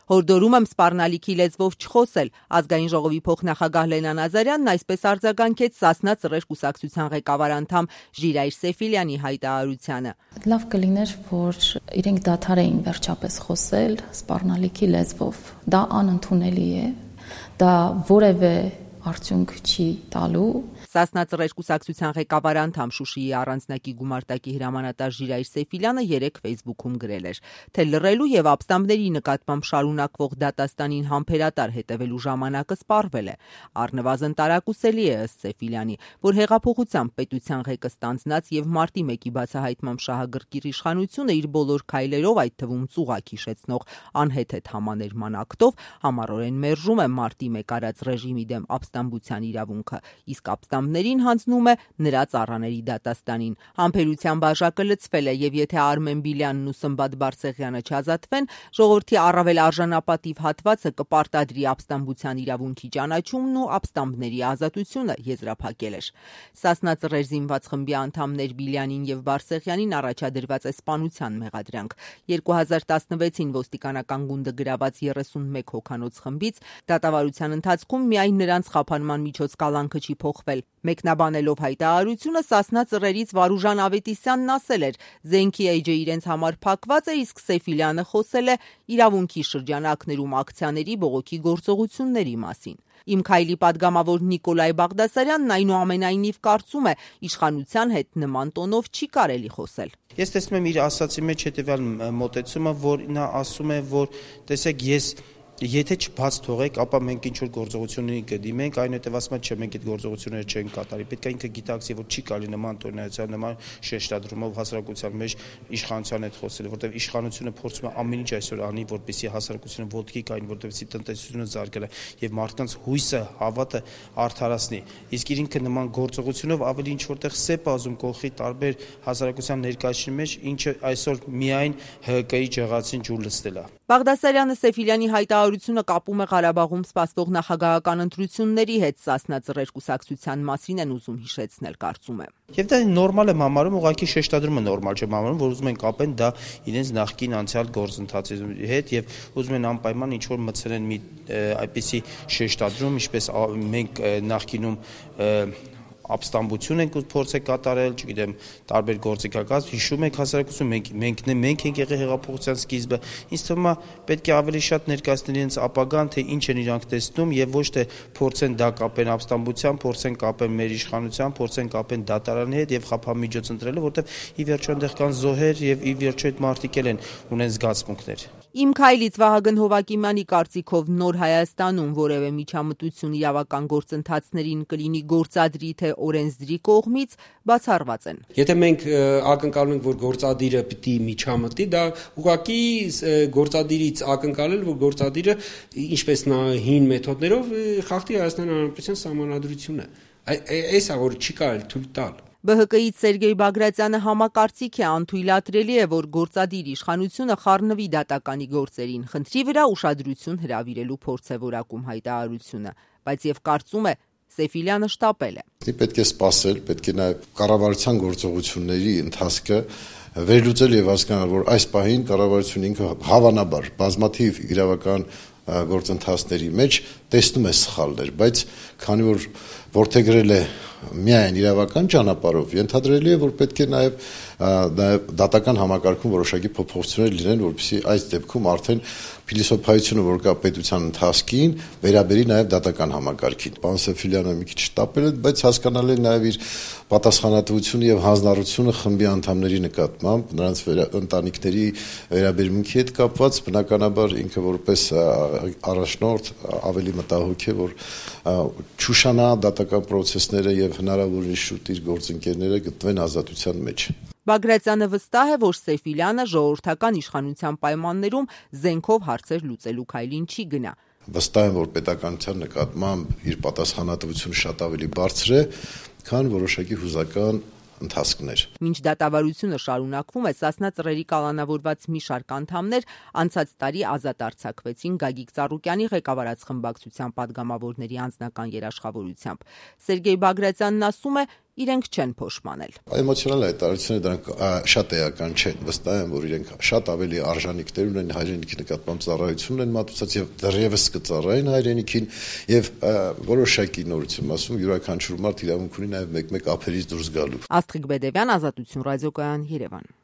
Հորդորում եմ սպառնալիքի լեզվով չխոսել։ Ազգային ժողովի փոխնախագահ Լենան Ազարյանն այսպես արձագանքեց Սասնա Ծռեր կուսակցության ղեկավար անդամ Ժիրայր Սեֆիլյանի հայտարարությանը։ Լավ կլիներ, որ իրենք դադարեին վերջապես խոսել սպառնալիքի լեզվով։ Դա անընդունելի է, դա որևէ արդյունք չի տալու։ Սասնա Ծռեր կուսակցության ղեկավար անդամ Շուշիի առանձնակի գումարտակի հրամանատար Ժիրայր Սեֆիլյանը երեկ Facebook-ում գրել էր, թե լռելու եւ ապստամբների նկատմամբ շարունակվող դատաստանին համբերատար հետևելու ժամանակը սպառվել է։ Առնվազն տարակուսելի է ըստ Սեֆիլյանի, որ հեղափոխությամբ պետության ղեկը ստանձնած եւ մարտի 1-ի բացահայտմամբ շահագրգիռ իշխանությունը իր բոլոր քայլերով, այդ թվում ծուղակ հիշեցնող անհեթեթ համաներման ակտով համառորեն մերժում է մարտի 1 արած ռեժիմի դեմ ապստամբության իրավունքը, իսկ ապստամբներին հանձնում է նրա ծառաների դատաստանին։ Համբերության բաժակը լցվել է եւ եթե Արմեն Բիլյանն ու Սմբատ Բարսեղյանը չազատվեն, ժողովրդի առավել արժանապատիվ հատվածը կպարտադրի ապստամբության իրավունքի ճանաչումն ու ապստամբների ազատությունը, եզրափակել էր։ Սասնա Ծռեր զինված խմբի անդամներ Բիլյանին եւ Բարսեղյանին առաջադրված է սպանության մեղադրանք։ 2016-ին ոստիկանական գունդը գրաված 31 հոգանոց խմբից դատավարության ընթացքում միայն նրանց խափանման միջոց կալանքը չի փոխվել։ Մեկնաբանելով հայտարարությունը Սասնա Ծռերից Վարուժան Ավետիսյանն ասել էր. «Զենքի էջը իրենց համար փակված է, իսկ Սեֆիլյանը խոսել է իրավունքի շրջանակներում ակցիաների բողոքի գործողությունների մասին»։ Իմ քայլի падգամավոր Նիկոլայ Բաղդասարյանն այնուամենայնիվ կարծում է, իշխանության հետ նման տոնով չի կարելի խոսել։ Ես տեսնում եմ իր ասացի մեջ հետևյալ մոտեցումը, որ նա ասում է, որ տեսեք, եթե չբաց թողեք, ապա մենք ինչ-որ գործողությունների կդիմենք, այնուհետև ասում է, չէ, մենք այդ գործողությունները չենք կատարի։ Պետք է ինքը գիտակցի, որ չի կարելի նման տոնայացիան, նման շեշտադրումով հասարակության մեջ իշխանության հետ խոսել, որտեղ իշխանությունը փորձում է ամեն ինչ այսօր անի, որպեսզի հասարակությունը ոտքի կային, որպեսզի տնտեսությունը զարգանա եւ մարդկանց հույսը, հավատը արդարացնի։ Իսկ ինքը նման գործողությունով ավելի ինչ որտեղ սեպ ազում կողքի տարբեր հասարակության ներկայացնի մեջ, ինչը այսօր միայն ՀԿ-ի ջղացին ջուր լցնել է։ Բաղդասարյանը Սեֆիլյանի հայտարարությունը կապում է Ղարաբաղում սպասվող նախագահական ընտրությունների հետ, Սասնա Ծռեր կուսակցության մասին են ուզում հիշեցնել, կարծում է։ Եվ դա նորմալ եմ համարում, ուղղակի շեշտադրումը նորմալ չեմ համարում, որ ուզում են կապեն դա իրենց նախկին անցյալ գործընթացի հետ եւ ուզում են անպայման ինչ-որ մտցնեն մի այդպիսի շեշտադրում, ինչպես մենք նախկինում ապստամբություն ենք փորձել կատարել, չգիտեմ, տարբեր գործիքակաց, հիշում եք հասարակություն, մենք ենք եղել հեղափոխության սկիզբը, ինձ թվում է պետք է ավելի շատ ներկայացնել իրենց ապագան, թե ինչ են իրանք տեսնում եւ ոչ թե փորձեն դա կապեն ապստամբության, փորձեն կապեն մեր իշխանության, փորձեն կապեն դատարանի հետ եւ խափամիջոց ընտրելը, որտեղ ի վերջո այնտեղ կան զոհեր եւ ի վերջո այդ մարդիկ են ունեն զգացմունքներ։ Իմ քայլից Վահագն Հովակիմյանի կարծիքով նոր Հայաստանում որևէ միջամտություն իրավական գործընթացներին կլինի գործադրի թե օրենսդրի կողմից բացառված են։ Եթե մենք ակնկալում ենք, որ գործադիրը պիտի միջամտի, դա ուղղակի գործադիրից ակնկալել, որ գործադիրը ինչպես հին մեթոդներով խախտի Հայաստանի Հանրապետության սահմանադրությունը։ Այս է որ չի կարելի թույլ տալ։ ԲՀԿ-ից Սերգեյ Բագրատյանը համակարծիք է, անթույլատրելի է, որ գործադիր իշխանությունը խառնվի դատականի գործերին, խնդրի վրա ուշադրություն հրավիրելու փորձ է որակում հայտարարությունը, բայց եւ կարծում է Սեֆիլյանը շտապել է։ Պետք է սպասել, պետք է նաեւ կառավարության գործողությունների ընթացքը վերլուծել եւ հասկանալ, որ այս պահին կառավարությունը ինքը հավանաբար բազմաթիվ իրավական գործընթացների մեջ տեսնում է սխալներ, բայց քանի որ որդեգրել է միայն իրավական ճանապարհով, ենթադրելի է, որ պետք է նաև դատական համակարգում որոշակի փոփոխություններ լինեն, որպեսզի այս դեպքում արդեն փիլիսոփայությունը, որ կա պետության ընթացքին, վերաբերի նաև դատական համակարգին։ Պարոն Սեֆիլյանը մի քիչ շտապել է, բայց հասկանալի է նաև իր պատասխանատվությունը եւ հանձնառությունը խմբի անդամների նկատմամբ, նրանց ընտանիքների վերաբերմունքի հետ կապված, բնականաբար ինքը որպես առաջնորդ ավելի մտահոգ է, որ չուշանա դատական process-ները եւ հնարավորին շուտ իր գործընկերները գտնվեն ազատության մեջ։ Բագրատյանը վստահ է, որ Սեֆիլյանը ժողովրդական իշխանության պայմաններում զենքով հարցեր լուծելու քայլին չի գնա։ Վստահ եմ, որ պետականության նկատմամբ իր պատասխանատվությունը շատ ավելի բարձր է, քան որոշակի հուզական ընթացքներ։ Մինչ դատավարությունը շարունակվում է, Սասնա Ծռերի կալանավորված մի շարք անդամներ անցած տարի ազատ արձակվեցին Գագիկ Ծառուկյանի ղեկավարած խմբակցության падգամավորների անձնական երաշխավորությամբ։ Սերգեյ Բագրատյանն ասում է, իրենք չեն փոշմանել։ Էմոցիոնալ հայտարարությունները դրանք շատ էական չեն, վստահ եմ, որ իրենք շատ ավելի արժանինքներ ունեն հայրենիքի նկատմամբ ծառայություն են մատուցած եւ դեռևս կծառայեն հայրենիքին եւ որոշակի նորություն, ասում յուրաքանչյուր մարդ իրավունք ունի նաեւ մեկ-մեկ ափերից դուրս գալու։ Աստղիկ Բեդևյան, Ազատություն ռադիոկայան, Երևան։